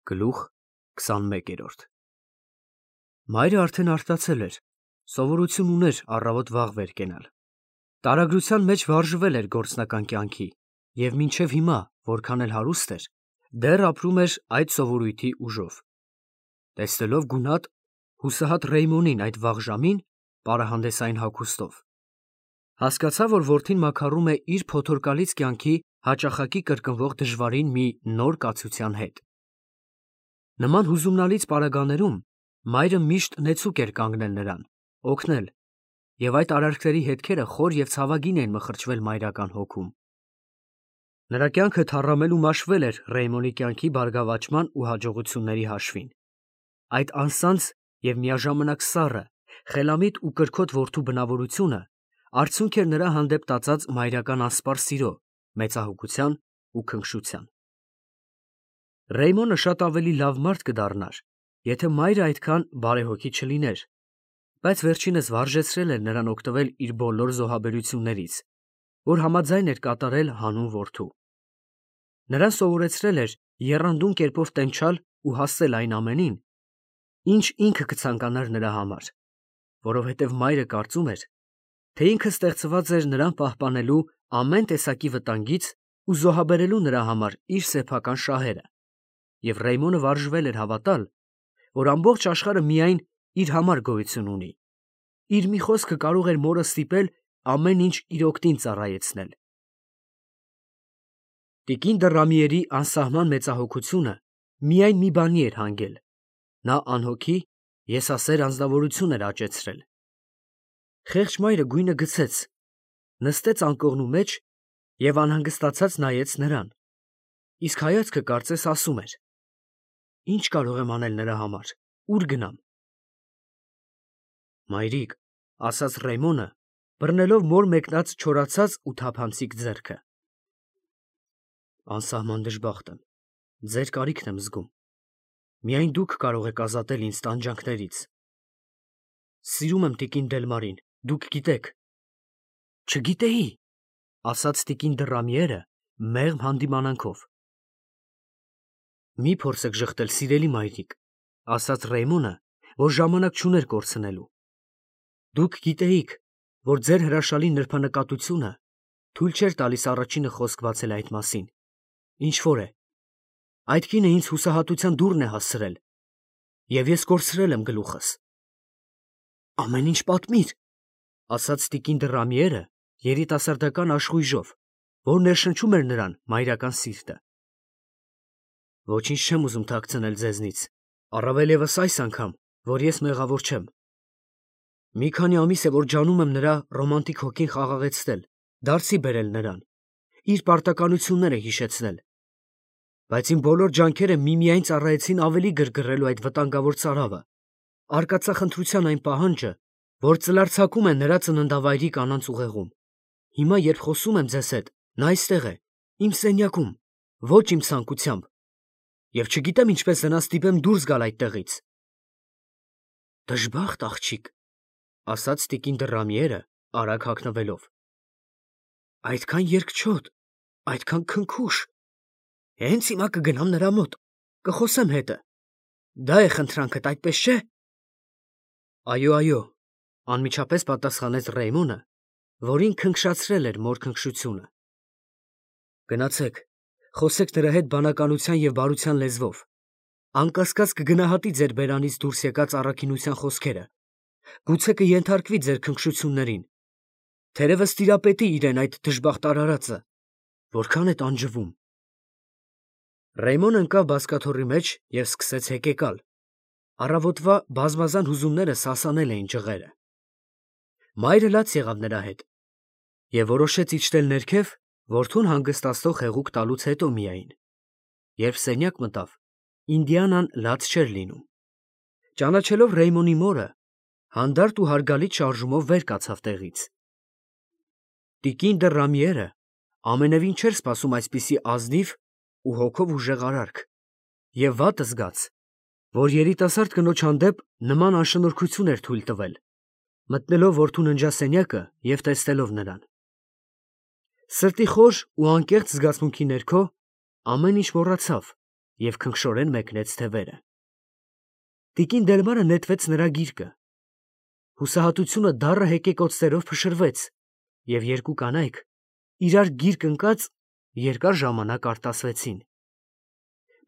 Գլուխ 21 Մայրը արդեն արտացել էր, սովորություն ուներ առավոտ վաղ վեր կենալ։ Տարագրության մեջ վարժվել էր գործնական կյանքի և մինչև հիմա, որքան էլ հարուստ էր, դեռ ապրում էր այդ սովորույթի ուժով։ Տեսնելով գունատ, հուսահատ Ռեյմոնին այդ վաղ ժամին, պարահանդեսային հագուստով, հասկացա, որ որդին մաքարում է իր փոթորկալից կյանքի հաճախակի կրկնվող դժվարին մի նոր կացության հետ։ Նման հուզումնալից պարագաներում մայրը միշտ նեցուկ էր կանգնել նրան, օգնել, և այդ արարքների հետքերը խոր և ցավագին էին մխրճվել մայրական հոգում։ Նրա կյանքը թառամել ու մաշվել էր Ռեյմոնի կյանքի բարգավաճման ու հաջողությունների հաշվին։ Այդ անսանձ և միաժամանակ սառը, խելամիտ ու կրքոտ որդու բնավորությունը արդյունք էր նրա հանդեպ տածած մայրական անսպառ սիրո, մեծահոգության ու քնքշության։ Ռեյմոնը շատ ավելի լավ մարդ կդառնար, եթե մայրը այդքան բարեհոգի չլիներ, բայց վերջինս վարժեցրել էր նրան օգտվել իր բոլոր զոհաբերություններից, որ համաձայն էր կատարել հանուն որդու։ Նրան սովորեցրել էր եռանդուն կերպով տենչալ ու հասել այն ամենին, ինչ ինքը կցանկանար նրա համար, որովհետև մայրը կարծում էր, թե ինքը ստեղծված էր նրան պահպանելու ամեն տեսակի վտանգից ու զոհաբերելու նրա համար իր սեփական շահերը, և Ռեյմոնը վարժվել էր հավատալ, որ ամբողջ աշխարհը միայն իր համար գոյություն ունի, իր մի խոսքը կարող էր մորը ստիպել ամեն ինչ իր օգտին ծառայեցնել։ Տիկին դը Ռամիերի անսահման մեծահոգությունը միայն մի բանի էր հանգել. նա անհոգի, եսասեր անձնավորություն էր աճեցրել։ Խեղճ մայրը գույնը գցեց, նստեց անկողնու մեջ և անհանգստացած նայեց նրան, իսկ հայացքը կարծես ասում էր. «Ի՞նչ կարող եմ անել նրա համար, ուր գնամ»։ Մայրիկ, ֊ ասաց Ռեյմոնը, բռնելով մոր մեկնած չորացած ու թափանցիկ ձեռքը, ֊ անսահման դժբախտ եմ, ձեր կարիքն եմ զգում, միայն դուք կարող եք ազատել ինձ տանջանքներից։ Սիրում եմ տիկին Դելմարին, դուք գիտեք։ Չգիտեի, ֊ ասաց տիկին դը Ռամիերը մեղմ հանդիմանանքով։ Մի փորձեք ժխտել, սիրելի մայրիկ, ֊ ասաց Ռեյմոնը, որ ժամանակ չուներ կորցնելու։ Դուք գիտեիք, որ ձեր հրաշալի նրբանկատությունը թույլ չէր տալիս առաջինը խոսք բացել այդ մասին, ինչ որ է, այդ կինը ինձ հուսահատության դուռն է հասցրել, և ես կորցրել եմ գլուխս։ Ամեն ինչ պատմիր, ֊ ասաց տիկին դը Ռամիերը երիտասարդական աշխույժով, որ ներշնչում էր նրան մայրական սիրտը։ Ոչինչ չեմ ուզում թաքցնել ձեզնից, առավել ևս այս անգամ, որ ես մեղավոր չեմ։ Մի քանի ամիս է, որ ջանում եմ նրա ռոմանտիկ հոգին խաղաղեցնել, դարձի բերել նրան, իր պարտականությունները հիշեցնել, բայց իմ բոլոր ջանքերը միմիայն ծառայեցին ավելի գրգռելու այդ վտանգավոր ծարավը, արկածախնդրության այն պահանջը, որ ծլարձակում է նրա ծննդավայրի կանանց ուղեղում։ Հիմա, երբ խոսում եմ ձեզ հետ, նա այստեղ է, իմ սենյակում, ոչ իմ ցանկությամբ, և չգիտեմ ինչպես նրան ստիպեմ դուրս գալ այդտեղից։ Դժբախտ աղջիկ, ֊ ասաց տիկին դը Ռամիերը արագ հագնվելով, այդքան երկչոտ, այդքան քնքուշ։ Հենց հիմա կգնամ նրա մոտ, կխոսեմ հետը։ Դա է խնդրանքդ, այդպես չէ։ Այո, այո, ֊ անմիջապես պատասխանեց Ռեյմոնը, որին քնքշացրել էր մոր քնքշությունը։ Գնացեք, խոսեք նրա հետ բանականության և բարության լեզվով, անկասկած կգնահատի ձեր բերանից դուրս եկած առաքինության խոսքերը, գուցե կենթարկվի ձեր քնքշություններին, թերևս տիրապետի իրեն այդ դժբախտ արարածը, որքան է տանջվում։ Ռեյմոնը ընկավ բազկաթոռի մեջ և սկսեց հեկեկալ։ Առավոտվա բազմազան հուզումները սասանել էին ջղերը։ Մայրը լաց եղավ նրա հետ և որոշեց իջնել ներքև որդուն հանգստացնող հեղուկ տալուց հետո միայն։ Երբ սենյակ մտավ, Ինդիանան լաց չէր լինում։ Ճանաչելով Ռեյմոնի մորը, հանդարտ ու հարգալից շարժումով վեր կացավ տեղից։ Տիկին դը Ռամիերը ամենևին չէր սպասում այսպիսի ազնիվ ու հոգով ուժեղ արարք, և վատը զգաց, որ երիտասարդ կնոջ հանդեպ նման անշնորհքություն էր թույլ տվել, մտնելով որդու ննջասենյակը և տեսնելով նրան։ Սրտի խոր ու անկեղծ զգացմունքի ներքո ամեն ինչ մոռացավ և քնքշորեն մեկնեց թևերը։ Տիկին Դելմարը նետվեց նրա գիրկը։ Հուսահատությունը դառը հեկեկոցներով փշրվեց, և երկու կանայք իրար գիրկ ընկած երկար ժամանակ արտասվեցին։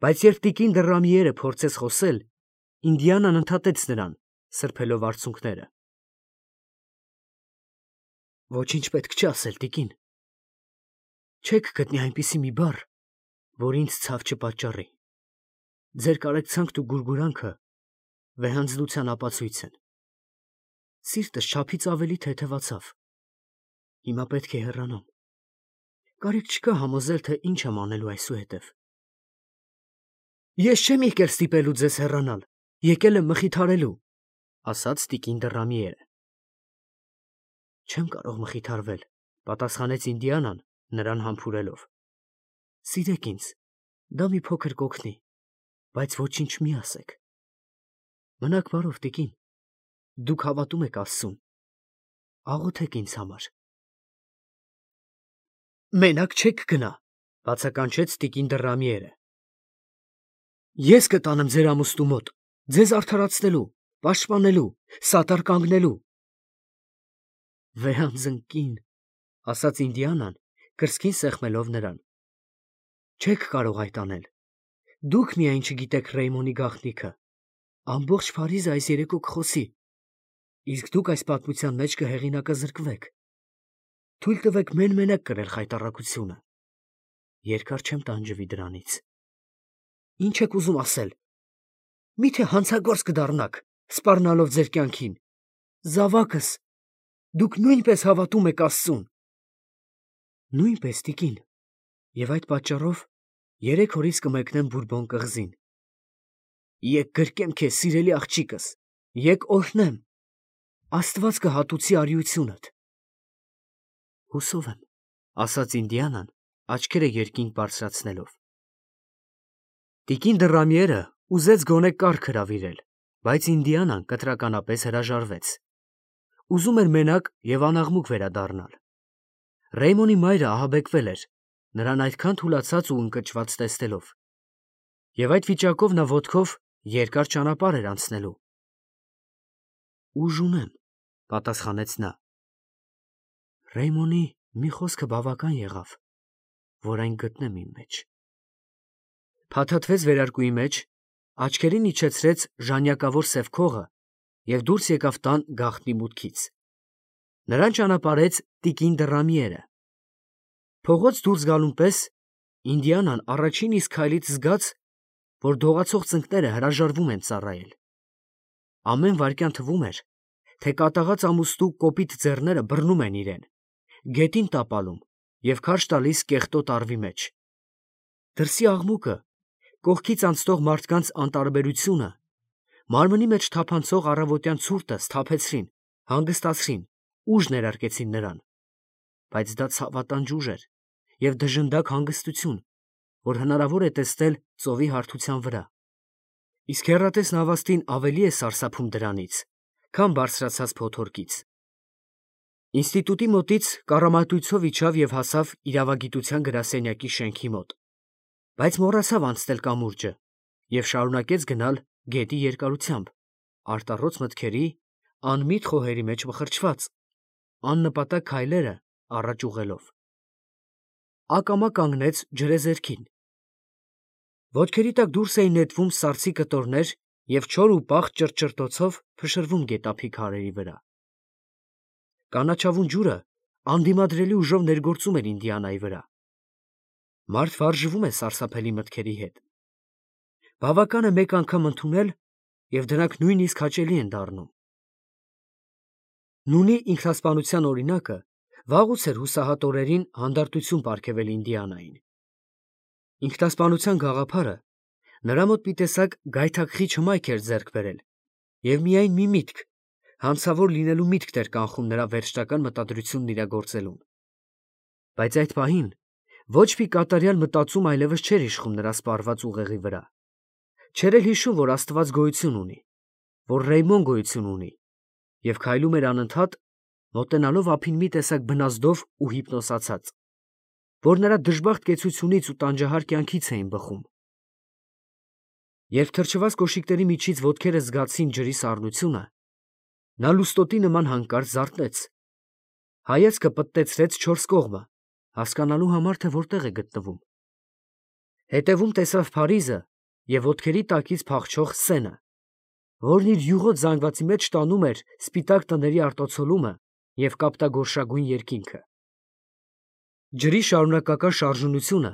Բայց երբ տիկին Դռամիերը փորձեց խոսել, Ինդիանան ընդհատեց նրան, սրբելով արցունքները։ Ոչինչ պետք չի ասել, տիկին։ Չեք գտնի այնպիսի մի բառ, որ ինձ ցավ չպատճառի։ Ձեր կարեկցանքն ու գուրգուրանքը վեհանձնության ապացույց են։ Սիրտս չափից ավելի թեթևացավ։ Հիմա պետք է հեռանամ։ Կարիք չկա համոզել, թե ինչ եմ անելու այսուհետև։ Ես չեմ եկել ստիպելու ձեզ հեռանալ, եկել եմ մխիթարելու, ասաց տիկին Դռամիերը։ Չեմ կարող մխիթարվել, պատասխանեց Ինդիանան, նրան համբուրելով։ Սիրեք ինձ, դա մի փոքր կօգնի, բայց ոչինչ մի ասեք։ Մնաք բարով, տիկին, դուք հավատում եք Աստծուն, աղոթեք ինձ համար։ Մենակ չեք գնա, բացականչեց տիկին Դռամիերը։ Ես կտանեմ ձեր ամուսնու մոտ, ձեզ արդարացնելու, պաշտպանելու, սատար կանգնելու։ Վեհանձն կին, ասաց Ինդիանան, կրծքին սեղմելով նրան։ Չեք կարող այդ անել։ Դուք միայն չգիտեք Ռեյմոնի գաղտնիքը։ Ամբողջ Փարիզը այս երեկո կխոսի։ Իսկ դուք այս պատմության մեջ կհեղինակազրկվեք։ Թույլ տվեք մեն-մենակ կրել խայտառակությունը։ Երկար չեմ տանջվի դրանից։ Ինչ եք ուզում ասել։ Միթե հանցագործ կդառնաք, սպառնալով ձեր կյանքին։ Զավակս, դուք նույնպես հավատում եք Աստծուն։ Նույնպես, տիկին, և այդ պատճառով 3 օրից կմեկնեմ Բուրբոն կղզին։ Եկ գրկեմ քեզ, սիրելի աղջիկս, եկ օրհնեմ, Աստված կհատուցի արիությունդ։ Հուսով եմ, ասաց Ինդիանան, աչքերը երկինք բարձրացնելով։ Տիկին Դռամիերը ուզեց գոնե կառք հրավիրել, բայց Ինդիանան կտրականապես հրաժարվեց։ Ուզում էր մենակ և անաղմուկ վերադառնալ։ Ռեյմոնի մայրը ահաբեկվել էր, նրան այդքան թուլացած ու ընկճված տեսնելով։ Եվ այդ վիճակով նա ոտքով երկար ճանապարհ էր անցնելու։ Ուժ ունեմ, պատասխանեց նա։ Ռեյմոնի մի խոսքը բավական եղավ, որ այն գտնեմ իմ մեջ։ Փաթաթվեց վերարկուի մեջ, աչքերին իջեցրեց ժանյակավոր սև քողը և դուրս եկավ տան գաղտնի մուտքից։ Նրան ճանապարհեց տիկին Դռամիերը։ Փողոց դուրս գալուն պես Ինդիանան առաջին իսկ քայլից զգաց, որ դողացող ծնկները հրաժարվում են ծառայել։ Ամեն վայրկյան թվում էր, թե կատաղած ամուսնու կոպիտ ձեռները բռնում են իրեն, գետին տապալում և քարշ տալիս կեղտոտ առվի մեջ։ Դրսի աղմուկը, կողքից անցնող մարդկանց անտարբերությունը, մարմնի մեջ թափանցող առավոտյան ցուրտը սթափեցրին, հանգստացրին, ուժ ներարկեցին նրան։ Բայց դա ցավատանջ ուժ էր և դժնդակ հանգստություն, որ հնարավոր է տեսնել ծովի հարթության վրա։ Իսկ հեռատես նավաստին ավելի է սարսափում դրանից, քան բարձրացած փոթորկից։ Ինստիտուտի մոտից կառամատույցով իջավ և հասավ իրավագիտության գրասենյակի շենքի մոտ, բայց մոռացավ անցնել կամուրջը և շարունակեց գնալ գետի երկարությամբ, արտառոց մտքերի, անմիտ խոհերի մեջ մխրճված, աննպատակ քայլերը առաջ ուղղելով։ Ակամա կանգնեց ջրեզերքին։ Ոտքերի տակ դուրս էին նետվում սառցի կտորներ և չոր ու պաղ ճրճրտոցով փշրվում գետափի քարերի վրա։ Կանաչավուն ջուրը անդիմադրելի ուժով ներգործում էր Ինդիանայի վրա։ Մարդ վարժվում է սարսափելի մտքերի հետ։ Բավական է մեկ անգամ ընդունել, և դրանք նույնիսկ հաճելի են դառնում։ Նունի ինքնասպանության օրինակը վաղուց էր հուսահատ օրերին հանդարտություն պարգևել Ինդիանային։ Ինքնասպանության գաղափարը նրա մոտ մի տեսակ գայթակղիչ հմայք էր ձեռք բերել, և միայն մի միտք, հանցավոր լինելու միտքն էր կանխում նրա վերջնական մտադրությունն իրագործելուն։ Բայց այդ պահին ոչ մի կատարյալ մտածում այլևս չէր իշխում նրա սպառված ուղեղի վրա։ Չէր էլ հիշում, որ Աստված գոյություն ունի, որ Ռեյմոն գոյություն ունի, և քայլում էր անընդհատ, մոտենալով ափին մի տեսակ բնազդով ու հիպնոսացած, որ նրա դժբախտ կեցությունից ու տանջահար կյանքից էին բխում։ Երբ թրջված կոշիկների միջից ոտքերը զգացին ջրի սառնությունը, նա լուստոտի նման հանկարծ զարթնեց. հայացքը պտտեցրեց չորս կողմը, հասկանալու համար, թե որտեղ է գտնվում. հետևում տեսավ Փարիզը և ոտքերի տակից փախչող Սենը, որն իր յուղոտ զանգվածի մեջ տանում էր սպիտակ տների արտացոլումը և կապտագորշագույն երկինքը։ Ջրի շարունակական շարժունությունը,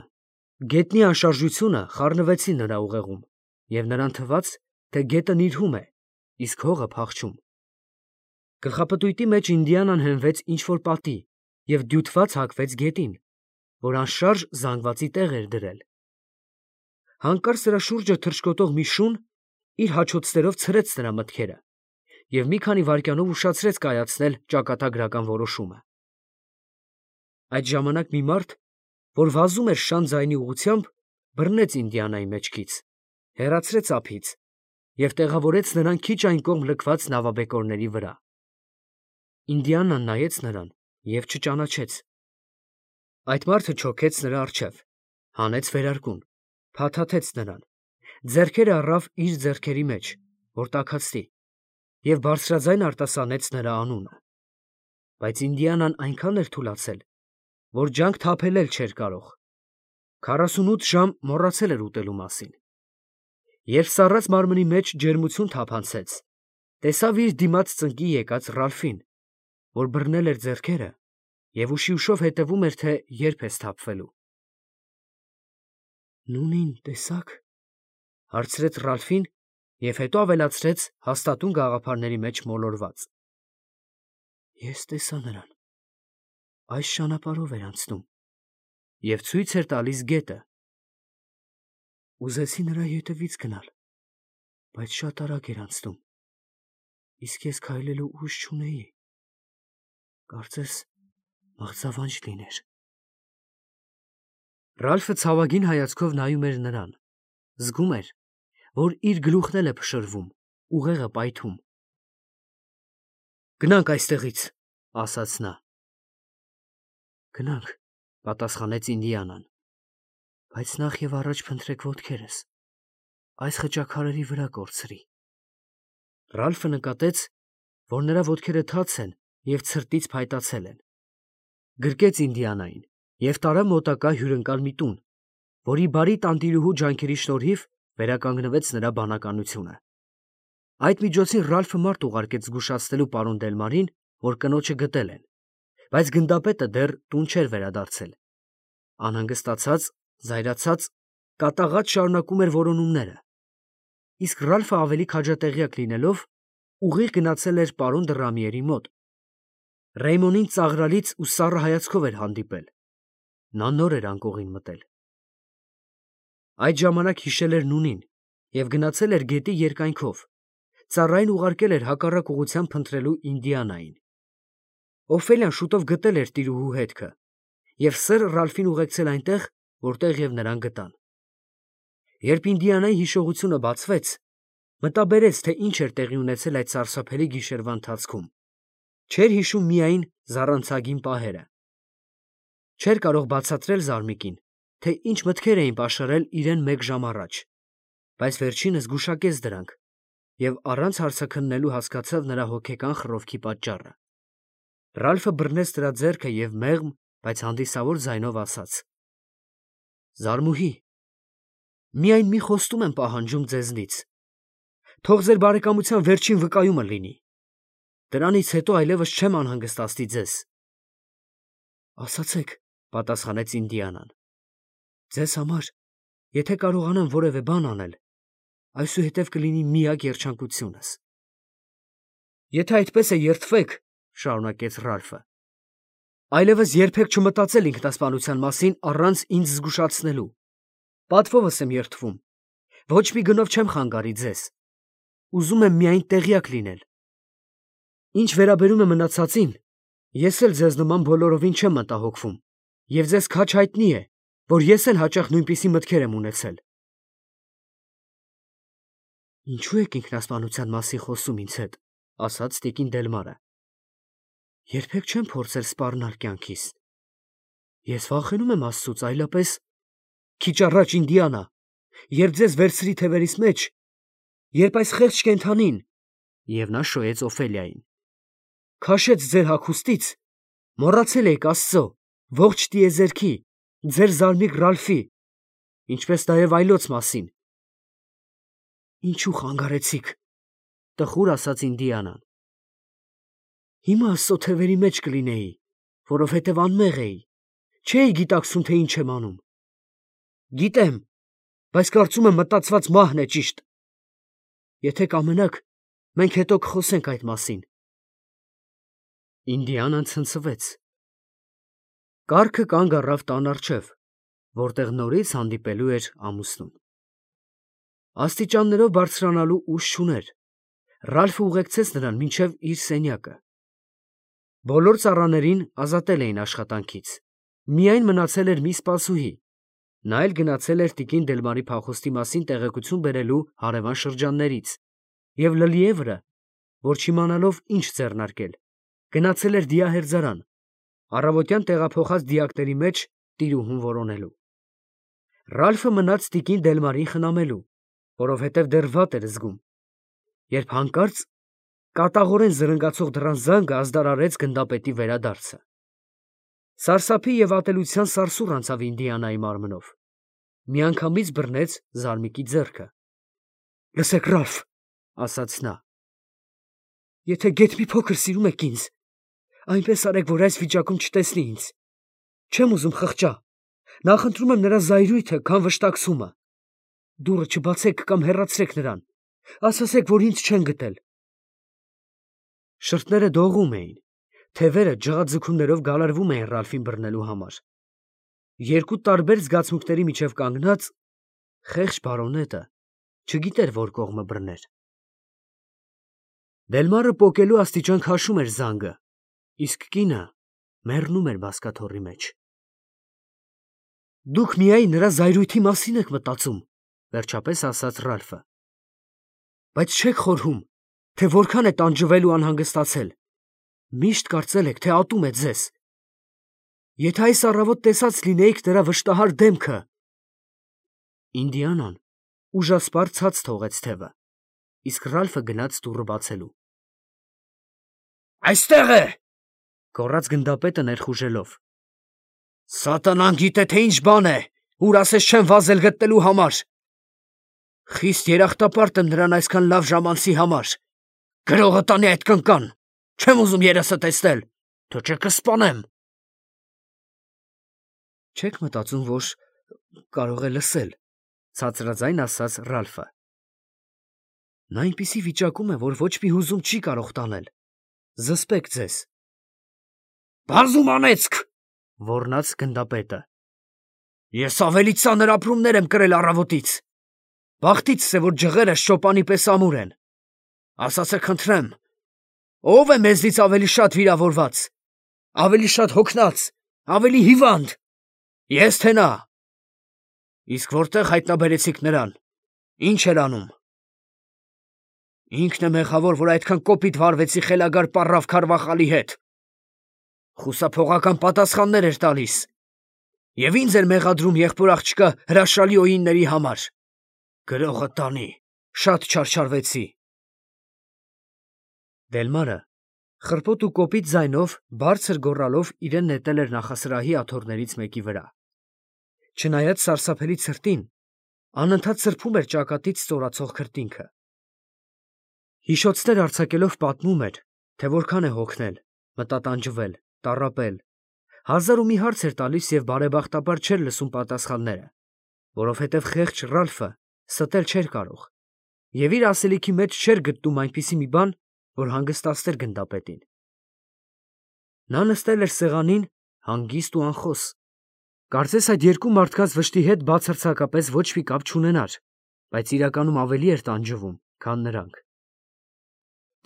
գետնի անշարժությունը խառնվեցին նրա ուղեղում, և նրան թվաց, թե գետն իրհում է, իսկ հողը փախչում։ Գլխապտույտի մեջ Ինդիանան հենվեց ինչ-որ պատի և դյութված հակվեց գետին, որ անշարժ զանգվածի տեղ էր դրել։ Հանկարծ նրա շուրջը թռչկոտող մի շուն իր հաչոցներով ցրեց նրա մտքերը և մի քանի վայրկյանով ուշացրեց կայացնել ճակատագրական որոշումը։ Այդ ժամանակ մի մարդ, որ վազում էր շան ձայնի ուղղությամբ, բռնեց Ինդիանայի մեջքից, հեռացրեց ափից և տեղավորեց նրան քիչ այն կողմ լքված նավաբեկորների վրա։ Ինդիանան նայեց նրան և չճանաչեց։ Այդ մարդը չոքեց նրա առջև, հանեց վերարկուն, փաթաթեց նրան, ձեռքերը առավ իր ձեռքերի մեջ, որ տաքացնի, և բարձրաձայն արտասանեց նրա անունը։ Բայց Ինդիանան այնքան էր թուլացել, որ ջանք թափել էլ չէր կարող։ 48 ժամ մոռացել էր ուտելու մասին։ Երբ սառած մարմնի մեջ ջերմություն թափանցեց, տեսավ իր դիմաց ծնկի եկած Ռալֆին, որ բռնել էր ձեռքերը և ուշի ուշով հետևում էր, թե երբ է սթափվելու։ «Նունին տեսա՞ք», հարցրեց Ռալֆին և հետո ավելացրեց հաստատուն գաղափարների մեջ մոլորված. «Ես տեսա նրան, այս ճանապարհով էր անցնում և ցույց էր տալիս գետը։ Ուզեցի նրա ետևից գնալ, բայց շատ արագ էր անցնում, իսկ ես քայլելու ուժ չունեի, կարծես մղձավանջ լիներ»։ Ռալֆը ցավագին հայացքով նայում էր նրան, զգում էր, որ իր գլուխն էլ է փշրվում, ուղեղը պայթում։ «Գնանք այստեղից», ասաց նա։ «Գնանք», պատասխանեց Ինդիանան, բայց նախ և առաջ փնտրեք ոտքերս, այս խճաքարերի վրա կորցրի։ Ռալֆը նկատեց, որ նրա ոտքերը թաց են և ցրտից փայտացել են։ Գրկեց Ինդիանային և տարավ մոտակա հյուրընկալ մի տուն, որի բարի տանտիրուհու ջանքերի շնորհիվ վերականգնվեց նրա բանականությունը։ Այդ միջոցին Ռալֆը մարդ ուղարկեց զգուշացնելու պարոն Դելմարին, որ կնոջը գտել են, բայց գնդապետը դեռ տուն չէր վերադարձել։ Անհանգստացած, զայրացած, կատաղած շարունակում էր որոնումները, իսկ Ռալֆը ավելի քաջատեղյակ լինելով, ուղիղ գնացել էր պարոն Դռամիերի մոտ։ Ռեյմոնին ծաղրալից ու սառը հայացքով էր հանդիպել։ Նա նոր էր անկողին մտել։ Այդ ժամանակ հիշել էր նունին և գնացել էր գետի երկայնքով, ծառային ուղարկել էր հակառակ ուղղությամբ փնտրելու Ինդիանային։ Օֆելիան շուտով գտել էր տիրուհու հետքը և սըր Ռալֆին ուղեկցել այնտեղ, որտեղ և նրան գտան։ Երբ Ինդիանայի հիշողությունը բացվեց, մտաբերեց, թե ինչ էր տեղի ունեցել այդ սարսափելի գիշերվա ընթացքում։ Չէր հիշում միայն զառանցագին պահերը։ Չէր կարող բացատրել Զարմիկին, թե ինչ մտքեր էին պաշարել իրեն մեկ ժամ առաջ, բայց վերջինս գուշակեց դրանք և առանց հարցաքննելու հասկացավ նրա հոգեկան խռովքի պատճառը։ Ռալֆը բռնեց նրա ձեռքը և մեղմ, բայց հանդիսավոր ձայնով ասաց. «Զարմուհի, միայն մի խոստում եմ պահանջում ձեզնից. թող ձեր բարեկամության վերջին վկայումը լինի։ Դրանից հետո այլևս չեմ անհանգստացնի ձեզ»։ «Ասացեք», պատասխանեց Ինդիանան։ «Ձեզ համար, եթե կարողանամ որևէ բան անել, այսուհետև կլինի միակ երջանկությունս»։ «Եթե այդպես է երդվեք, ֊ շարունակեց Ռալֆը, ֊ այլևս երբեք չմտածել ինքնասպանության մասին առանց ինձ զգուշացնելու։ Պատվովս եմ երդվում, ոչ մի գնով չեմ խանգարի ձեզ։ Ուզում եմ միայն տեղյակ լինել։ Ինչ վերաբերում է մնացածին, ես էլ ձեզ նման բոլորովին չեմ մտահոգվում, և ձեզ քաջ հայտնի է, որ ես էլ հաճախ նույնպիսի մտքեր եմ ունեցել»։ «Ինչո՞ւ եք ինքնասպանության մասին խոսում ինձ հետ», ասաց տիկին Դելմարը։ «Երբեք չեմ փորձել սպառնալ կյանքիս։ Ես վախենում եմ Աստծուց, այլապես…» «Քիչ առաջ, Ինդիանա, երբ ձեզ վերցրի թևերիս մեջ, երբ այս խեղճ կենդանին, և նա շոյեց Օֆելիային, քաշեց ձեր հագուստից, մոռացել եք Աստծո, ողջ տիեզերքի, ձեր զարմիկ Ռալֆի, ինչպես նաև այլոց մասին։ Ինչու խանգարեցիք, տխուր ասաց Ինդիանան։ Հիմա Աստծո թևերի մեջ կլինեի, որովհետև անմեղ էի, չէի գիտակցում, թե ինչ եմ անում։ Գիտեմ, բայց կարծում եմ մտածված մահն է ճիշտ։ Եթե կամենաք, մենք հետո կխոսենք այդ մասին։ Ինդիանան ցնցվեց։ Կառքը կանգ առավ տան առջև, որտեղ նորից հանդիպելու էր ամուսնուն։ Աստիճաններով բարձրանալու ուժ չուներ։ Ռալֆը ուղեկցեց նրան մինչև իր սենյակը։ Բոլոր ծառաներին ազատել էին աշխատանքից։ Միայն մնացել էր մի սպասուհի։ Նա էլ գնացել էր տիկին Դելմարի փախուստի մասին տեղեկություն բերելու հարևան շրջաններից և Լլիևրը, որ չիմանալով ինչ ձեռնարկել, գնացել էր դիահերձարան, առավոտյան տեղափոխած դիակների մեջ տիրուհուն որոնելու։ Ռալֆը մնաց տիկին Դելմարին խնամելու, որովհետև դեռ վատ էր զգում, երբ հանկարծ կատաղորեն զրնգացող դռան զանգը ազդարարեց գնդապետի վերադարձը։ Սարսափի և ատելության սարսուռ անցավ Ինդիանայի մարմնով։ Միանգամից բռնեց զարմիկի ձեռքը։ Լսեք, Ռալֆ, ասաց նա, եթե գեթ մի փոքր սիրում եք ինձ, այնպես արեք, որ այս վիճակում չտեսնի ինձ։ Չեմ ուզում խղճա, նախընտրում եմ նրա զայրույթը, քան վշտակցումը։ Դուռը չբացեք կամ հեռացրեք նրան, ասացեք, որ ինձ չեն գտել։ Շրթները դողում էին, թևերը ջղաձգումներով գալարվում էին Ռալֆին բռնելու համար։ Երկու տարբեր զգացմունքների միջև կանգնած, խեղճ բարոնետը չգիտեր, որ կողմը բռներ։ Դելմարը պոկելու աստիճան քաշում էր զանգը, իսկ կինը մեռնում էր բազկաթոռի մեջ։ Դուք միայն նրա զայրույթի մասին եք մտածում, վերջապես ասաց Ռալֆը։ Բայց չեք խորհում, թե որքան է տանջվել ու անհանգստացել։ Միշտ կարծել եք, թե ատում է ձեզ։ Եթե այս առավոտ տեսած լինեիք նրա վշտահար դեմքը… Ինդիանան ուժասպառ ցած թողեց թևը, իսկ Ռալֆը գնաց դուռը բացելու։ Այստեղ է, գոռաց գնդապետը ներխուժելով։ Սատանան գիտե, թե ինչ բան է, ուր ասես չեմ վազել գտնելու համար։ Խիստ երախտապարտ եմ նրան այսքան լավ ժամանցի համար։ Գրողը տանի այդ կնկան, չեմ ուզում երեսը տեսնել, թե չէ կսպանեմ։ Չեք մտածում, որ կարող է լսել, ցածրաձայն ասաց Ռալֆը։ Նա այնպիսի վիճակում է, որ ոչ մի հուզում չի կարող տանել։ Զսպեք ձեզ։ Բազում անեծք, ոռնաց գնդապետը։ Ես ավելի ծանր ապրումներ եմ կրել առավոտից։ Բախտիցս է, որ ջղերս շոպանի պես ամուր են։ Ասացեք, խնդրեմ, ով է մեզնից ավելի շատ վիրավորված, ավելի շատ հոգնած, ավելի հիվանդ։ Ես թե նա։ Իսկ որտեղ հայտնաբերեցիք նրան, ինչ էր անում։ Ինքն է մեղավոր, որ այդքան կոպիտ վարվեցի խելագար պառավ Քարվախալի հետ։ Խուսափողական պատասխաններ էր տալիս։ Եվ ինձ էր մեղադրում եղբոր աղջկա հրաշալի օինների համար։ Գրողը տանի, շատ չարչարվեցի։ Դելմարը խռպոտ ու կոպիտ ձայնով բարձր գոռալով իրեն նետել էր նախասրահի աթոռներից մեկի վրա։ Չնայած սարսափելի ցրտին, անընդհատ սրբում էր ճակատից ստորացող քրտինքը։ Հիշոցներ արձակելով պատմում էր, թե որքան է հոգնել, մտատանջվել, տառապել, հազար ու մի հարց էր տալիս և բարեբախտաբար չէր լսում պատասխանները, որովհետև խեղճ Ռալֆը ստել չէր կարող և իր ասելիքի մեջ չէր գտնում այնպիսի մի բան, որ հանգստացներ գնդապետին։ Նա նստել էր սեղանին հանգիստ ու անխոս։ Կարծես այդ երկու մարդկանց վշտի հետ բացարձակապես ոչ մի կապ չունենար, բայց իրականում ավելի էր տանջվում, քան նրանք։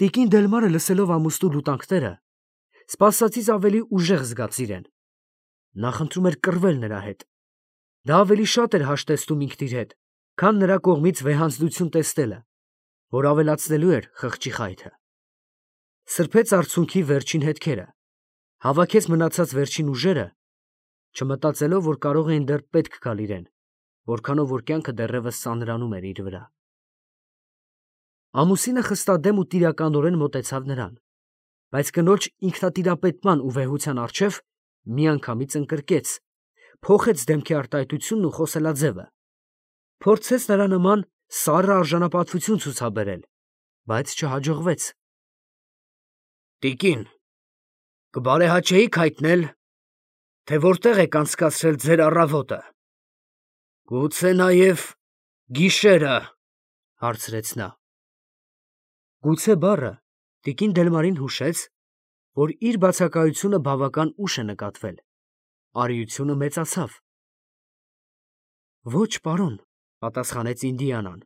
Տիկին Դելմարը լսելով ամուսնու լուտանքները, սպասածից ավելի ուժեղ զգաց իրեն։ Նա խնդրում էր կռվել նրա հետ։ Դա ավելի շատ էր հաշտեցնում ինքն իր հետ, քան նրա կողմից վեհանձնություն տեսնելը, որ ավելացնելու էր խղճի խայթը։ Սրբեց արցունքի վերջին հետքերը, հավաքեց մնացած վերջին ուժերը, չմտածելով, որ կարող էին դեռ պետք գալ իրեն, որքանով որ կյանքը դեռևս ծանրանում էր իր վրա։ Ամուսինը խստադեմ ու տիրականորեն մոտեցավ նրան, բայց կնոջ ինքնատիրապետման ու վեհության առջև միանգամից ընկրկեց, փոխեց դեմքի արտահայտությունն ու խոսելաձևը, փորձեց նրա նման սառը արժանապատվություն ցուցաբերել, բայց չհաջողվեց։ Տիկին, կբարեհաճեիք հայտնել, թե որտեղ եք անցկացրել ձեր առավոտը։ Գուցե նաև գիշերը, հարցրեց նա։ Գուցե բառը տիկին Դելմարին հուշեց, որ իր բացակայությունը բավական ուշ է նկատվել, արիությունը մեծացավ։ Ոչ, պարոն, պատասխանեց Ինդիանան,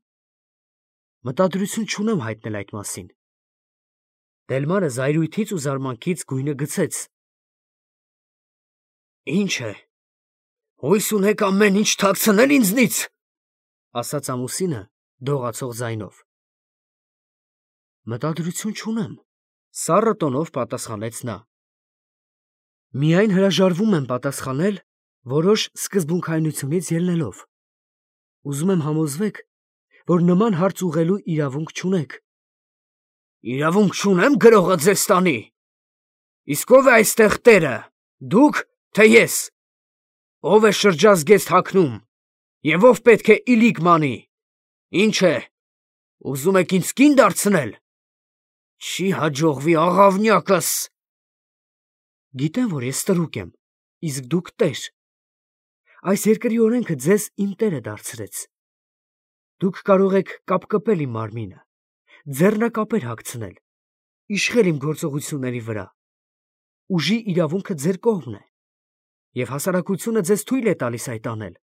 մտադրություն չունեմ հայտնել այդ մասին։ Դելմարը զայրույթից ու զարմանքից գույնը գցեց։ Ինչ է, հույս ունեք ամեն ինչ թաքցնել ինձնից, ասաց ամուսինը դողացող ձայնով։ Մտադրություն չունեմ, սառը տոնով պատասխանեց նա։ Միայն հրաժարվում եմ պատասխանել որոշ սկզբունքայնությունից ելնելով։ Ուզում եմ համոզվեք, որ նման հարց ուղղելու իրավունք չունեք։ Իրավունք չունեմ գրողը ձեզ տանի։ Իսկ ով է այստեղ տերը, դուք, թե ես։ Ով է շրջազգեստ հագնում, և ով պետք է իլիկ մանի։ Ինչ է, ուզում եք ինձ կին դարձնել։ Չի հաջողվի աղավնյակս։ Գիտեմ, որ ես ստրուկ եմ, իսկ դուք տեր։ Այս երկրի օրենքը ձեզ իմ տերը դարձրեց։ Դուք կարող եք կապկպել իմ մարմինը, ձեռնակապեր հագցնել, իշխել իմ գործողությունների վրա։ Ուժի իրավունքը ձեր կողմն է, և հասարակությունը ձեզ թույլ է տալիս այդ անել։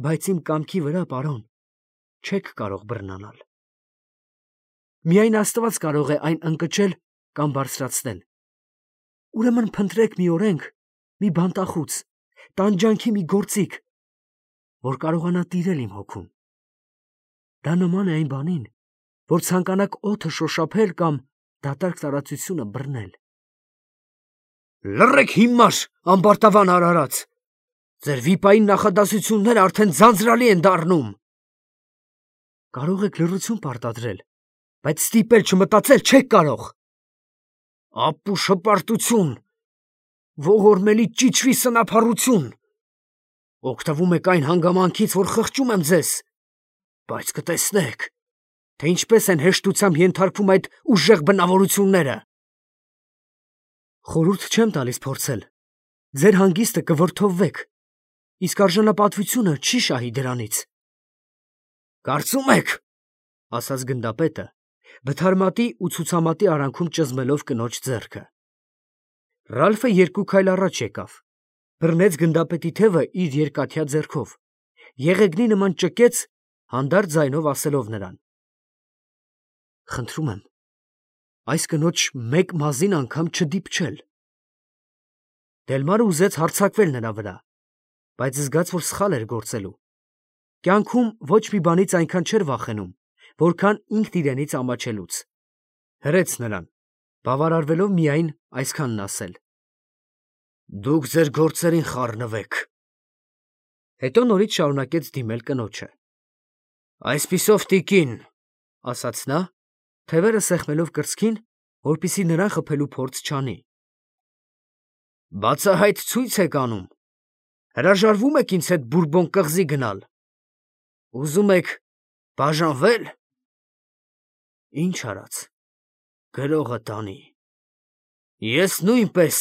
Բայց իմ կամքի վրա, պարոն, չեք կարող բռնանալ։ Միայն Աստված կարող է այն ընկճել կամ բարձրացնել։ Ուրեմն փնտրեք մի օրենք, մի բանտախուց, տանջանքի մի գործիք, որ կարողանա տիրել իմ հոգում։ Դա նման է այն բանին, որ ցանկանաք օդը շոշափել կամ դատարկ տարածությունը բռնել։ Լռեք հիմար, ամբարտավան արարած, ձեր վիպային նախադասությունները արդեն ձանձրալի են դառնում։ Կարող եք լռություն պարտադրել, բայց ստիպել չմտածել չեք կարող։ Ապուշ հպարտություն, ողորմելի ճիչվի սնափառություն։ Օգտվում եք այն հանգամանքից, որ խղճում եմ ձեզ, բայց կտեսնեք, թե ինչպես են հեշտությամբ ենթարկվում այդ ուժեղ բնավորությունները։ Խորհուրդ չեմ տալիս փորձել, ձեր հանգիստը կվրդովվեք, իսկ արժանապատվությունը չի շահի դրանից։ Կարծում եք, ասաց գնդապետը, բթարմատի ու ցուցամատի արանքում ճզմելով կնոջ ձեռքը։ Ռալֆը երկու քայլ առաջ եկավ, բռնեց գնդապետի թևը իր երկաթյա ձեռքով, եղեգնի նման ճկեց, հանդարտ ձայնով ասելով նրան. Խնդրում եմ, այս կնոջ մեկ մազին անգամ չդիպչել։ Դելմարը ուզեց հարձակվել նրա վրա, բայց զգաց, որ սխալ էր գործելու։ Կյանքում ոչ մի բանից այնքան չէր վախենում, որքան ինքն իրենից ամաչելուց։ Հրեց նրան, բավարարվելով միայն այսքանն ասել. Դուք ձեր գործերին խառնվեք։ Հետո նորից շարունակեց դիմել կնոջը։ Այսպիսով, տիկին, ասաց նա, թևերը սեղմելով կրծքին, որպեսզի նրան խփելու փորձ չանի։ Բացահայտ ցույց եք անում։ Հրաժարվում եք ինձ հետ Բուրբոն կղզի գնալ։ Ուզում եք բաժանվել։ Ինչ արած, գրողը տանի։ Ես նույնպես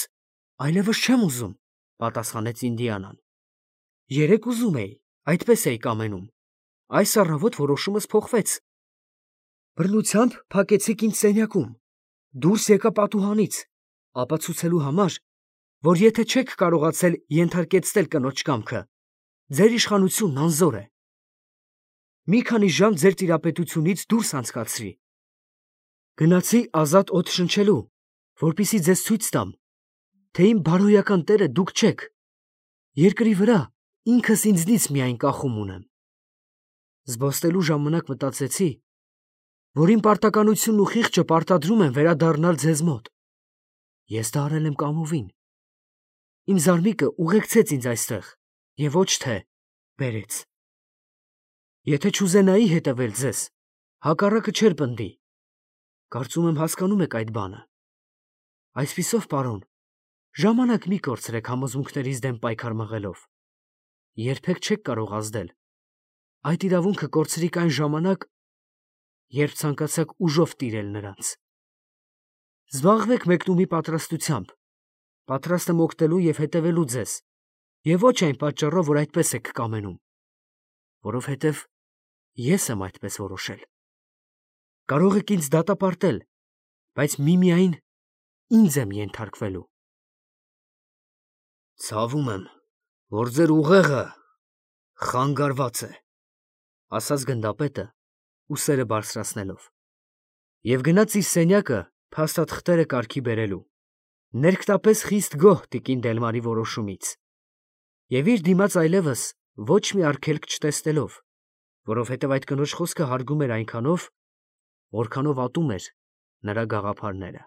այլևս չեմ ուզում, պատասխանեց Ինդիանան։ Երեկ ուզում էի, այդպես էի կամենում։ Այս առավոտ որոշումս փոխվեց։ Բռնությամբ փակեցիք ինձ սենյակում, դուրս եկա պատուհանից, ապացուցելու համար, որ եթե չեք կարողացել ենթարկեցնել կնոջ կամքը, ձեր իշխանությունն անզոր է։ Մի քանի ժամ ձեր տիրապետությունից դուրս անցկացրի։ Գնացի ազատ օդ շնչելու, որպեսզի ձեզ ցույց տամ, թե իմ բարոյական տերը դուք չեք։ Երկրի վրա ինքս ինձնից միայն կախում ունեմ։ Զբոսնելու ժամանակ մտածեցի, որ իմ պարտականությունն ու խիղճը պարտադրում են վերադառնալ ձեզ մոտ։ Ես դա արել եմ կամովին։ Իմ զարմիկը ուղեկցեց ինձ այստեղ և ոչ թե բերեց։ Եթե չուզենայի հետևել ձեզ, հակառակը չէր պնդի։ Կարծում եմ հասկանում եք այդ բանը։ Այսպիսով, պարոն, ժամանակ մի կորցրեք համոզմունքներիս դեմ պայքար մղելով։ Երբեք չեք կարող ազդել։ Այդ իրավունքը կորցրիք այն ժամանակ, երբ ցանկացաք ուժով տիրել նրանց։ Զբաղվեք մեկնումի պատրաստությամբ, պատրաստ եմ օգտելու և հետևելու ձեզ, և ոչ այն պատճառով, որ այդպես եք կամենում, որովհետև ես եմ այդպես որոշել։ Կարող եք ինձ դատապարտել, բայց միմիայն ինձ եմ ենթարկվելու։ Ցավում եմ, որ ձեր ուղեղը խանգարված է, ասաց գնդապետը, ուսերը բարձրացնելով, և գնաց իր սենյակը փաստաթղթերը կարգի բերելու, ներքտապես խիստ գոհ տիկին Դելմարի որոշումից, և իր դիմաց այլևս ոչ մի արգելք չտեսնելով, որովհետև այդ կնոջ խոսքը հարգում էր այնքանով, որքանով ատում էր նրա գաղափարները։